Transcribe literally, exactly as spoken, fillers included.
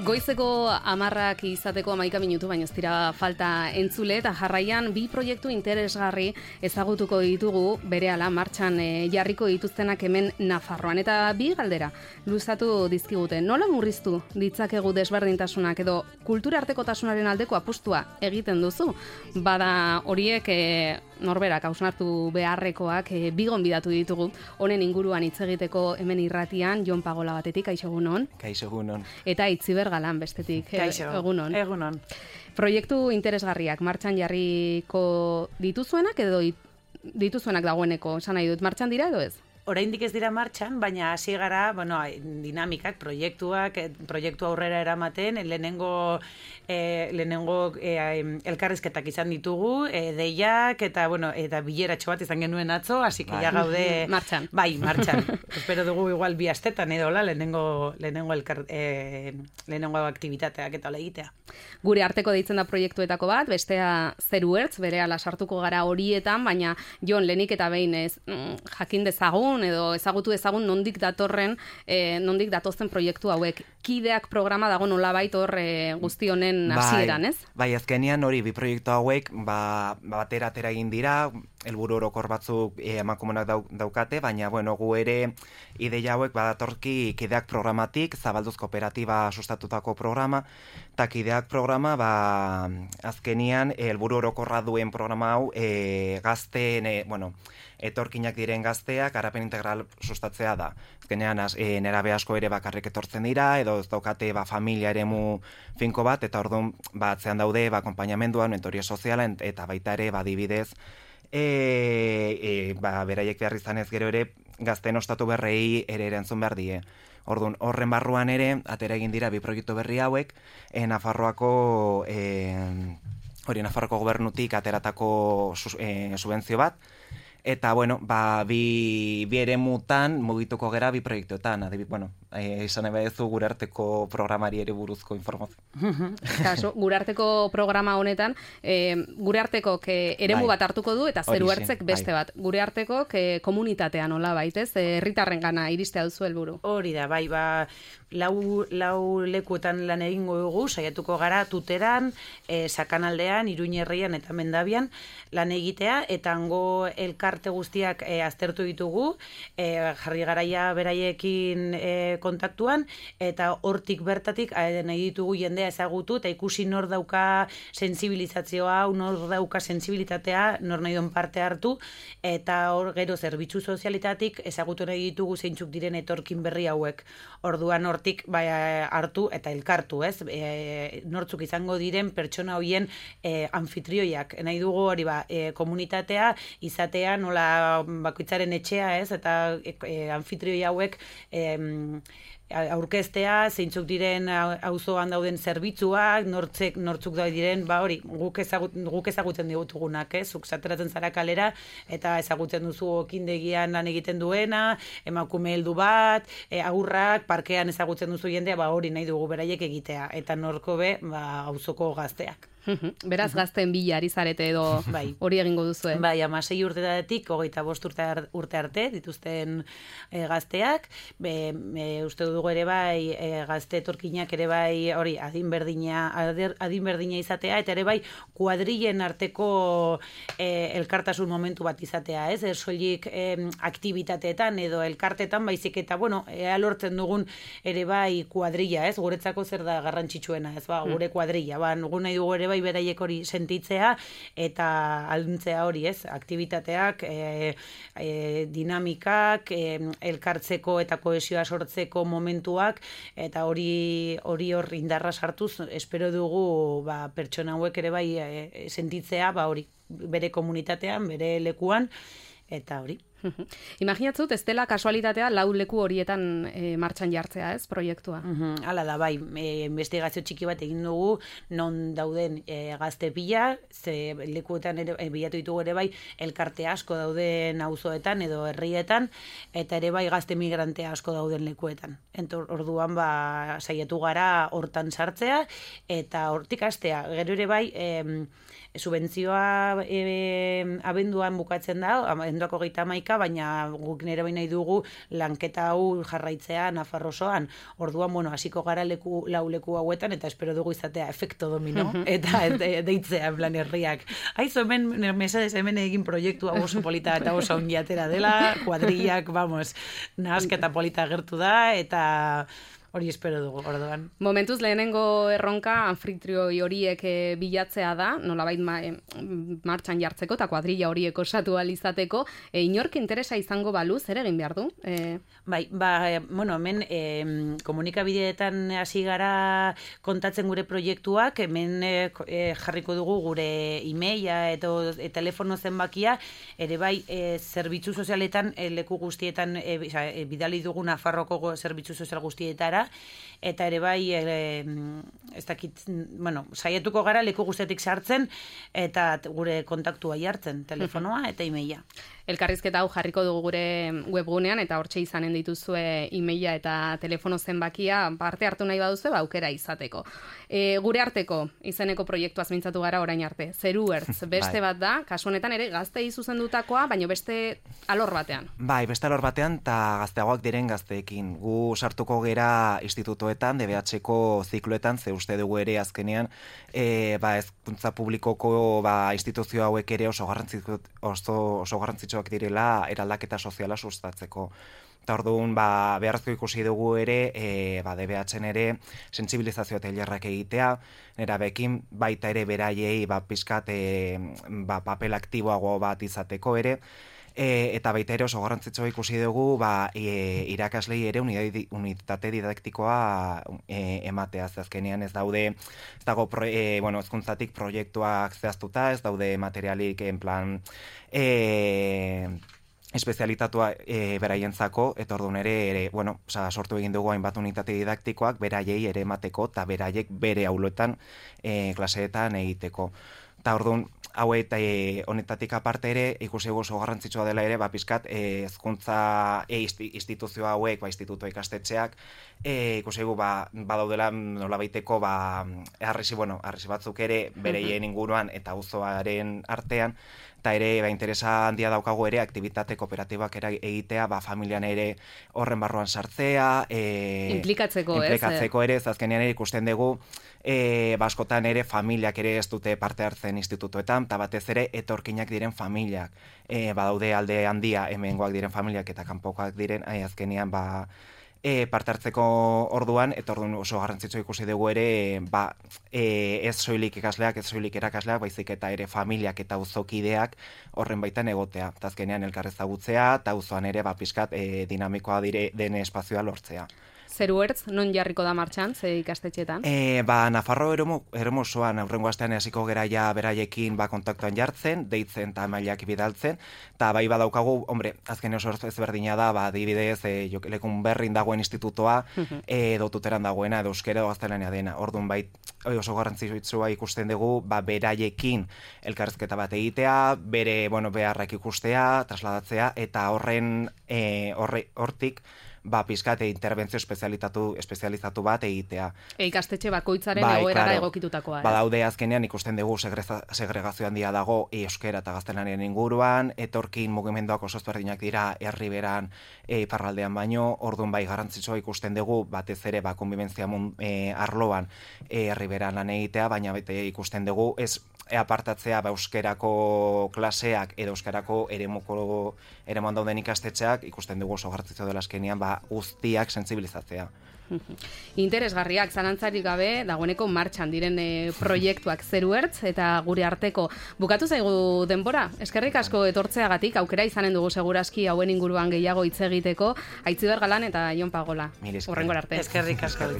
Goizeko amarrak izateko hamaika minutu, baina ez dira falta entzule, eta jarraian bi proiektu interesgarri ezagutuko ditugu berehala martxan e, jarriko dituztenak hemen Nafarroan. Eta bi galdera luzatu dizkigute. Nola murriztu ditzakegu desberdintasunak edo kultura artekotasunaren aldeko apustua egiten duzu? Bada horiek e, norberak hausnartu beharrekoak e, bi gonbidatu ditugu honen inguruan hitz egiteko hemen irratian. Jon Pagola batetik, kaixo egunon. Kaixo egunon. Eta Itziber Galan bestetik, Kaixo, egunon. Egunon. Proiektu interesgarriak martxan jarriko dituzuenak edo dituzuenak dagoeneko, esan nahi dut, martxan dira edo ez? Oraindik ez dira martxan, baina hasi gara, bueno, dinamikak, proiektuak, proiektu aurrera eramaten, lehenengo eh, lehenengo eh, elkarrizketak izan ditugu, eh, deiak eta bueno, eta bileratxo bat izan genuen atzo, así que ja gaude martxan. Bai, martxan. Espero dugu igual bi astetan edo la lehenengo lehenengo elkar eh, lehenengo aktibitateak eta hola egitea. Gure arteko deitzen da proiektuetako bat, bestea Zeru Ertz, berehala sartuko gara horietan, baina Jon, lehenik eta behin ez jakin dezagun edo ezagutu ezagun nondik datorren, eh, nondik datozen proiektu hauek. Kideak programa dago nolabait hor eh, guzti honen hasieran, ez? Bai, azkenean hori bi proiektu hauek ba, batera atera egin dira, helburu orokor batzuk eh, emakumenak dau, daukate, baina bueno, gu ere ideia hauek badatorki Kideak programatik, Zabalduz kooperatiba sustatutako programa, eta Kideak programa ba, azkenean helburu orokorra duen programa hau eh, gazteen, eh, bueno, etorkinak diren gazteak garapen integral sustatzea da. Azkenean e, nerabe asko ere bakarrik etortzen dira, edo ez daukate ba, familia eremu finko bat, eta orduan ba, atzean daude ba, akonpainamenduan, mentoria soziala, eta baita ere badibidez, e, e, ba, beraiek behar izan ez gero ere gazteen ostatu berrei ere erantzun behar die. Orduan, horren barruan ere, atera egin dira bi proiektu berri hauek, e, Nafarroako... E, hori Nafarroako gobernutik ateratako e, subentzio bat, eta, bueno, ba, bi, bi ere mutan mugituko gera bi proiektuetan. Adibit, bueno, eh, izan ebe ezu gure arteko programari ere buruzko informazio. Kaso, gure arteko programa honetan, eh, gure arteko eremu bai. Bat hartuko du, eta Zeru Ertzek beste bai. Bat. Gure arteko komunitatean hola baitez, herritarren gana iristea duzu helburu. Hori da, bai, ba, lau, lau lekuetan lan egingo dugu, saiatuko gara Tuteran, eh, Sakanaldean, Iruñerrian eta Mendabian lan egitea, eta hango elkarte guztiak e, aztertu ditugu, e, jarri garaia beraiekin e, kontaktuan, eta hortik bertatik e, nahi ditugu jendea ezagutu, eta ikusi nor dauka sensibilizazioa, nor dauka sensibilitatea, nor nahi duen parte hartu, eta hor gero zerbitzu sozialitatik ezagutu nahi ditugu zeintzuk diren etorkin berri hauek. Orduan hortik bai, hartu eta elkartu, ez? E, nortzuk izango diren pertsona hoien e, anfitrioiak. Nahi dugu hori ba, e, komunitatea izatea nola bakoitzaren etxea, ez? Eta e, anfitrioi hauek e, aurkeztea, zeintzuk diren auzoan dauden zerbitzuak, nortzek, nortzuk da diren, ba hori, guk, ezagut, guk ezagutzen digutugunak, ez? Zuk zateratzen zara kalera, eta ezagutzen duzu okindegian lan egiten duena, emakume heldu bat, e, aurrak, parkean ezagutzen duzu jendea, ba hori nahi dugu beraiek egitea, eta norko be, ba, auzoko gazteak. Beraz gazten bila ari zarete edo bai. Hori egingo duzu, eh? Bai, amasei urtetatik, hogeita bost urte, urte arte, dituzten e, gazteak, be, e, uste dugu ere bai, e, gazte etorkinak ere bai, hori, adin berdina, adin berdina izatea, eta ere bai, kuadrillen arteko e, elkartasun momentu bat izatea, ez? Ersoilik e, aktibitateetan edo elkartetan, baizik eta, bueno, ea lortzen dugun ere bai kuadrilla, ez? Guretzako zer da garrantzitsuena, ez? Ba, gure kuadrilla, ba, nugun nahi dugu ere bai beraiek hori sentitzea eta alduntzea hori, ez? Aktivitateak, e, e, dinamikak, e, elkartzeko eta kohesioa sortzeko momentuak, eta hori hori hor indarra sartuz, espero dugu ba, pertsona hauek ere bai e, sentitzea, ba hori, bere komunitatean, bere lekuan, eta hori. Imaginatzut, ez dela kasualitatea lau leku horietan e, martxan jartzea, ez, proiektua? Uhum, hala da, bai, e, investigazio txiki bat egin dugu, non dauden e, gazte pila, ze lekuetan ere, e, bilatu ditugu ere bai, elkarte asko dauden auzoetan edo herrietan, eta ere bai gazte migrante asko dauden lekuetan. Entor, orduan, ba, saiatu gara hortan sartzea, eta hortik hastea, gero ere bai, e, subentzioa e, abenduan bukatzen da, abenduako geita hamaika komunika, baina guk nire baina dugu lanketa hau jarraitzea Nafarro osoan. Orduan, bueno, hasiko gara leku, lau leku hauetan, eta espero dugu izatea efekto domino, eta de, deitzea, en plan, herriak. Aizu, hemen, mesedez, hemen egin proiektu hau oso polita eta oso ongiatera dela, kuadrillak, vamos, nahasketa polita gertu da, eta hori espero dugu, orduan. Momentuz lehenengo erronka anfitrioi horiek e, bilatzea da, nolabait ma, e, martxan jartzeko eta kuadrilla horiek osatu alizateko, e, inork interesa izango balu, zer egin behar du? E... Bai, ba, e, bueno, hemen e, komunikabideetan hasi gara kontatzen gure proiektuak, hemen e, jarriko dugu gure e-maila eta e, telefono zenbakia, ere bai, e, zerbitzu sozialetan, e, leku guztietan, e, e, bidali dugu Nafarroko zerbitzu sozial guztietara, eta ere bai e, ez dakit, bueno, saietuko gara leku guztetik sartzen eta gure kontaktua jartzen, telefonoa eta e-maila. Elkarrizketa hau jarriko dugu gure webgunean eta hortxe izanen dituzue e-maila eta telefono zenbakia parte hartu nahi baduzu ba aukera izateko. E, gure arteko izeneko proiektuaz mintzatu gara orain arte. Zeru Ertz beste bat da, kasu honetan ere gaztei zuzendutakoa, baina beste alor batean. Bai, beste alor batean eta gazteagoak diren gazteekin. Gu sartuko gera institutoetan, D B H-ko zikloetan, ze uste dugu ere azkenean, e, ba, hezkuntza publikoko ba, instituzio hauek ere oso garrantzitsu oso, oso garrantzitsu direla eraldaketa soziala sustatzeko. Eta orduan, ba, beharrezko ikusi dugu ere, e, ba, D B H-en ere sentsibilizazio tailerrak egitea, nera bekin baita ere beraiei ba, pizkat e, ba, papel aktiboago bat izateko ere, E, eta baita ere oso garrantzitsua ikusi dugu ba, e, irakaslei ere unitate didaktikoa e, ematea. Azkenean ez daude, ez dago pro, e, bueno, ezkuntzatik proiektuak zehaztuta, ez daude materialik en plan e, espezialitatua e, beraientzako, eta orduan ere, ere bueno, oza, sortu egin dugu hainbat unitate didaktikoak beraiei ere emateko, eta beraiek bere auloetan e, klaseetan egiteko. Eta orduan, hau eta e, honetatik aparte ere, ikusi oso garrantzitsua dela ere, ba, pizkat, e, ezkuntza e, instituzio hauek, ba, instituto ikastetxeak, e, ikusi egu, ba, badaudela nolabaiteko, ba, arresi, bueno, arresi batzuk ere, bereien inguruan eta auzoaren artean, eta ere, ba, interesa handia daukagu ere, aktibitate kooperatibak ere egitea, ba, familian ere horren barruan sartzea, e, implikatzeko, ez? Implikatzeko ere, azkenean ere ikusten dugu, E, baskotan ere familiak ere ez dute parte hartzen institutoetan, eta batez ere etorkinak diren familiak. E, badaude alde handia hemengoak diren familiak eta kanpokoak diren, ai, azkenean ba, e, parte hartzeko orduan, eta orduan oso garrantzitsua ikusi dugu ere, ba, e, ez soilik ikasleak, ez soilik erakasleak, baizik eta ere familiak eta auzokideak horren baitan egotea. Eta azkenean elkar ezagutzea, eta auzoan ere ba, pizkat e, dinamikoa dire den espazioa lortzea. Zeru Ertz, non jarriko da martxan, ze ikastetxetan? E, ba, Nafarro eromo osoan aurrengo astean hasiko gera ja beraiekin ba, kontaktuan jartzen, deitzen eta mailak bidaltzen, eta bai badaukagu, hombre, azken oso ezberdina da, ba, adibidez, e, lekun berrin dagoen institutoa, edo tuteran dagoena, edo euskera edo gaztelania dena. Orduan, bai, oso garrantzitsua ikusten dugu, ba, beraiekin elkarrizketa bat egitea, bere, bueno, beharrak ikustea, trasladatzea, eta horren, e, horre, hortik, ba, pizkate interbentzio espezializatu, espezializatu bat egitea. E, ikastetxe bakoitzaren bai, egoerara claro, egokitutakoa. Badaude azkenean ikusten dugu segreza, segregazio handia dago euskera eta gaztelaniaren inguruan, etorkin mugimenduak oso ezberdinak dira herriberan e, iparraldean baino, orduan bai garrantzitsua ikusten dugu batez ere ba, konbibentzia mun, e, arloan e, herriberan lan egitea, baina bete ikusten dugu ez E apartatzea ba, euskerako klaseak edo euskarako eremuko eremuan dauden ikastetxeak ikusten dugu oso garrantzitsua dela azkenean ba, guztiak sentsibilizatzea. Interesgarriak, zalantzarik gabe, dagoeneko martxan diren e, proiektuak Zeru Ertz eta gure arteko. Bukatu zaigu denbora, eskerrik asko etortzeagatik, aukera izanen dugu segurazki hauen inguruan gehiago hitz egiteko, Aitziber Galan eta Jon Pagola. Mil esker. Hurrengora arte. Eskerrik asko.